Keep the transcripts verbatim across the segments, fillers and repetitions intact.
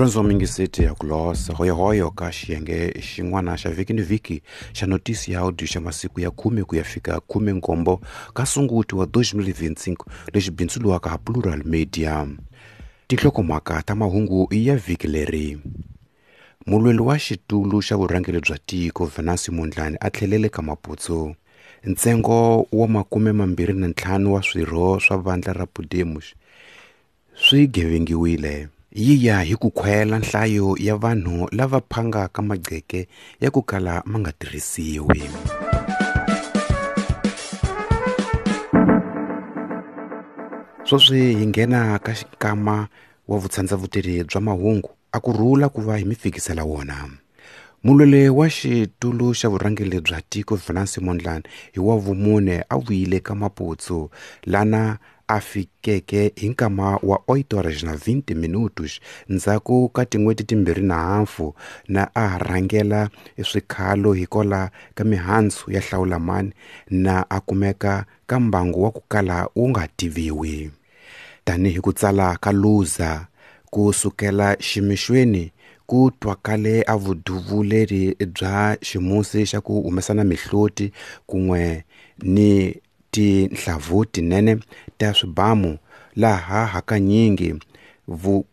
Murhandziwa mingiseti ya ku losa hoyohoyo ka xiyenge xin'wana xa vhiki ni vhiki xa notisi ya audio xa masiku ya khume ku ya fika khume nkombo ka Sunguti wa dois mil e vinte e cinco lexi bindzuriwaka ha Plural Media. Tinhlokomhaka ta mahungu ya vhiki leri. Mulweli wa xitulu xa vurhangeri bya tiko Venancio Mondlane a tlhelele ka Maputo. Ntsengo wa makume mambirhi na ntlhanu wa swirho swa vandla ra Podemos swi gevengiwile. Yi ya hi ku khwela nhlayo ya vanhu lava phangaka magqeke ya ku kala ma nga tirhisiwi. Sweswi hi nghena ka xikama wa vutsandzavuteri bya mahungu a ku rhula ku va hi mi fikisela wona. Mulweli wa xitulu xa vurhangeri bya tiko Venancio Mondlane hi wa vumune a vuyile ka Maputo lana a fikeke hi nkama wa oito horas na vinte minutos ndzhaku ka tin'hweti timbirhi na hafu na a rhangela swikhalo hikola ka mihandzu ya hlawulamani na a kumeka ka mbangu wa ku kala wu nga tiviwi. Tanihi ku tsala ka Luza ku sukela ximixweni ku twakale a vuduvuleri bya ximusi xa ku humesana mihloti kun'we ni tinhlavu tinene ta swibamu laha hakanyingi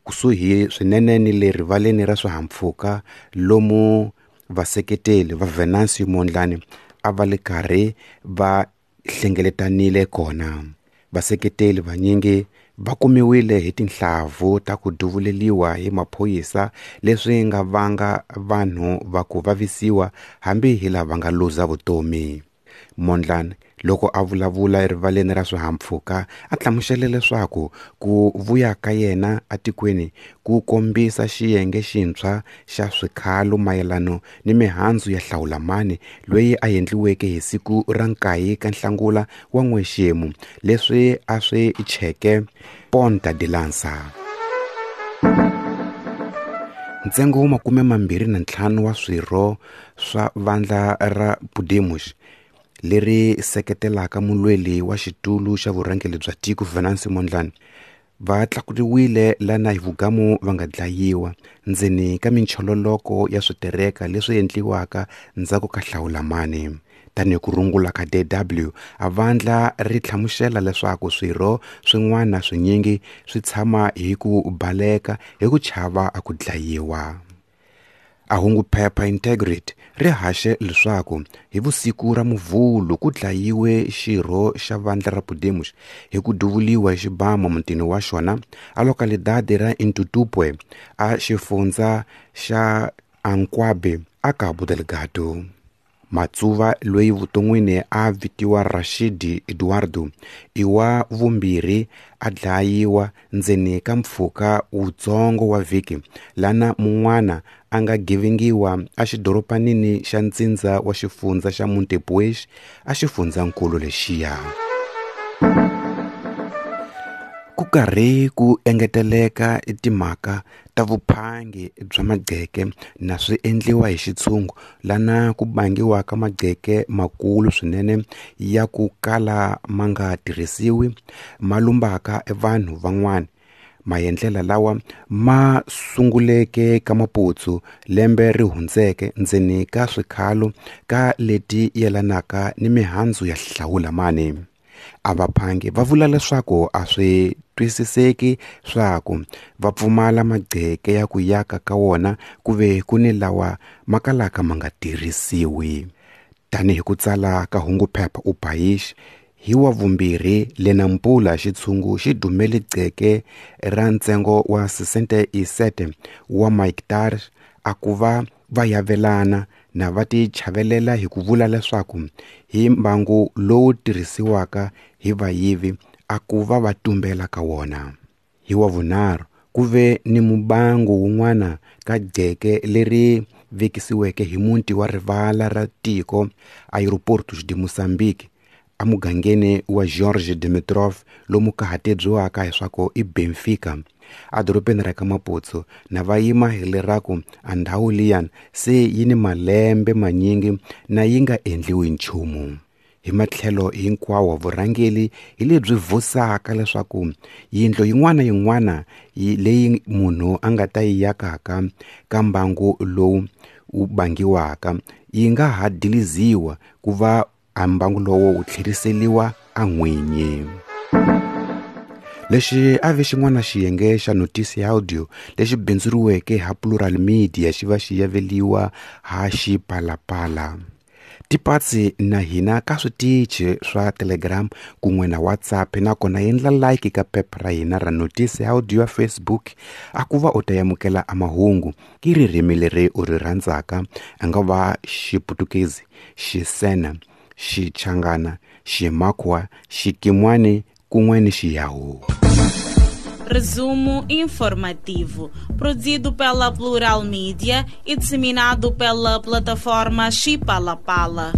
kusuhi swinene ni le rivaleni ra swihahampfhuka lomu vaseketeli va Venancio Mondlane a va le karhi va hlengeletanile kona. Vaseketeli vanyingi va kumiwile hi tinhlavu ta ku duvuleliwa hi maphorisa leswi nga vanga vanhu va ku vavisiwa hambi hi lava nga luza vutomi. Mondlane loko a vulavula erivaleni ra swihahampfhuka a hlamusele leswaku ku vuya ka yena atikweni ku kombisa xiyenge xintshwa xa swikhalo mayelano ni mihandzu ya hlawulamani loyi a endliweke hi siku ra nkaye ka Nhlangula wa n'wexemu leswi a swi cheke Ponta de Lança. Ntsengo wa makume mambirhi na ntlhanu wa swirho swa vandla ra Podemos leri seketelaka mulweli wa xitulu xa vurhangeri bya tiko Venancio Mondlane va tlakuriwile lana hi vugamu va nga dlayiwa ndzeni ka minchololoko ya switereka leswi endliwaka ndzhaku ka hlawulamani. Tanihi ku rungula ka D W, a vandla ri hlamusela leswaku swirho swin'wana swinyingi swi tshama hi ku baleka hi ku chava a ku dlayiwa. A hungu phepha Integrity ri haxe leswaku hi vusiku ra Muvhulu ku dlayiwe xirho xa vandla ra Podemos hi ku duvuliwa hi xibamu mutini wa xona a localidade ra Intutupwe a xifundza xa Anquabe a Cabo Delgado. Matsuva loyi vuton'wini a vitiwa Rashidi Eduardo i wa vumbirhi a dlayiwa ndzeni ka mpfhuka wutsongo wa vhiki lana mun'wana a nga gevengiwa a xidoropanini xa ntsindza wa xifundza xa Montepuez a xifundzankulu lexiya. Ku karhi ku engeteleka timhaka ta vuphangi bya magqeke na swi endliwa hi xitshungu lana ku bangiwaka magqeke makulu swinene ya ku kala ma nga tirhisiwi ma lumbaka vanhu van'wana. Maendlela lawa ma sunguleke ka Maputo lembe ri hundzeke ndzeni ka swikhalo ka leti yelanaka ni mihandzu ya hlawulamani. A vaphangi va vula leswaku a swi twisiseki swaku va pfumala magqeke ya ku yaka ka wona ku ve ku ni lawa ma kalaka ma nga tirhisiwi. Tanihi ku tsala ka hungu phepha Upayish hi wa vumbirhi le Nampula xitshungu xi dumele gqeke ra ntsengo wa sessenta e sete wa mahectares a ku va va yavelana na va ti chavelela hi ku vula leswaku hi mbangu lowu tirhisiwaka hi vayivi a ku va va tumbela ka wona. Hi wa vunharhu ku ve ni mubangu wun'wana ka gqeke leri vekisiweke hi muti wa rivala ra tiko Aeroportos de Moçambique amugangeni wa George Dimitrov lomu ka ha tebyiwaka hiswaku i Benfica adorobeni ra ka Maputo na va yima hi leraku a ndhawu liyani se yi ni malembe manyingi na yi nga endliwi nchumu. Hi matlhelo hinkwawo vurhangeli hi lebyi vusaka leswaku yindlu yin'wana yin'wana leyi munhu a nga ta yi yakaka ka mbangu lowu wu bangiwaka yi nga ha diliziwa ku va a mbangu lowo wu tlheriseriwa a n'winyi. Lexi a ve xin'wana xiyenge xa notisi ya audio lexi bindzuriweke ha Plural Media xi va xi yaveliwa ha Xipalapala. Tipatsi na hina ka switichi swa Telegram kun'we na WhatsApp, nakona endla like ka phepha ra hina ra notisi ya audio ya Facebook a ku va u ta amukela a mahungu ki ririmi leri u ri rhandzaka, a nga va Xiputukezi, Xisena, Xichangana, Ximakwa, Xikimwani kun'we ni Xiyahu. Resumo informativo, produzido pela Plural Media e disseminado pela plataforma Xipalapala.